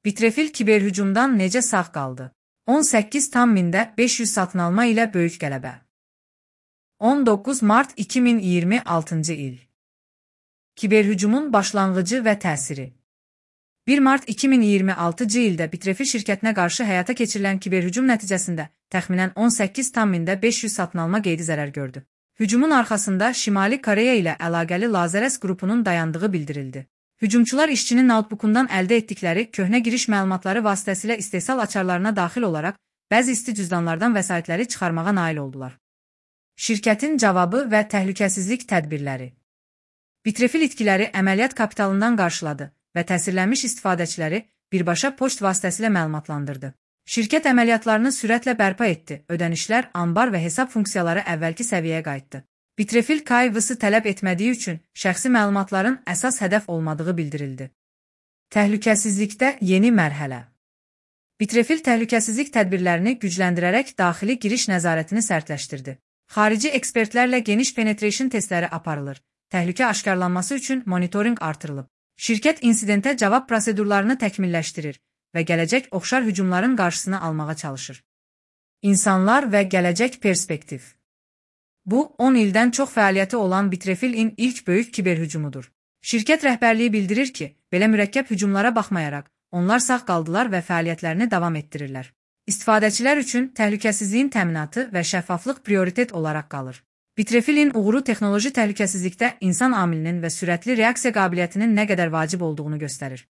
Bitrefil kiberhücumdan necə sağ qaldı? 18,500 satın alma ilə böyük qələbə. 19 mart 2026-cı il. Kiberhücumun başlanğıcı və təsiri. 1 mart 2026-cı ildə Bitrefil şirkətinə qarşı həyata keçirilən kiberhücum nəticəsində təxminən 18,500 satın alma qeydi zərər gördü. Hücumun arxasında Şimali Koreya ilə əlaqəli Lazerus qrupunun dayandığı bildirildi. Hücumçular işçinin notebookundan əldə etdikləri köhnə giriş məlumatları vasitəsilə istehsal açarlarına daxil olaraq bəzi isti cüzdanlardan vəsaitləri çıxarmağa nail oldular. Şirkətin cavabı və təhlükəsizlik tədbirləri. Bitrefil itkiləri əməliyyat kapitalından qarşıladı və təsirlənmiş istifadəçiləri birbaşa poçt vasitəsilə məlumatlandırdı. Şirkət əməliyyatlarını sürətlə bərpa etdi, ödənişlər, anbar və hesab funksiyaları əvvəlki səviyyəyə qayıtdı. Bitrefil KYC tələb etmədiyi üçün şəxsi məlumatların əsas hədəf olmadığı bildirildi. Təhlükəsizlikdə yeni mərhələ. Bitrefil təhlükəsizlik tədbirlərini gücləndirərək daxili giriş nəzarətini sərtləşdirdi. Xarici ekspertlərlə geniş penetration testləri aparılır. Təhlükə aşkarlanması üçün monitorinq artırılıb. Şirkət insidentə cavab prosedurlarını təkmilləşdirir və gələcək oxşar hücumların qarşısını almağa çalışır. İnsanlar və gələcək perspektiv. Bu, 10 ildən çox fəaliyyəti olan Bitrefilin ilk böyük kiberhücumudur. Şirkət rəhbərliyi bildirir ki, belə mürəkkəb hücumlara baxmayaraq, onlar sağ qaldılar və fəaliyyətlərini davam etdirirlər. İstifadəçilər üçün təhlükəsizliyin təminatı və şəffaflıq prioritet olaraq qalır. Bitrefilin uğuru texnoloji təhlükəsizlikdə insan amilinin və sürətli reaksiya qabiliyyətinin nə qədər vacib olduğunu göstərir.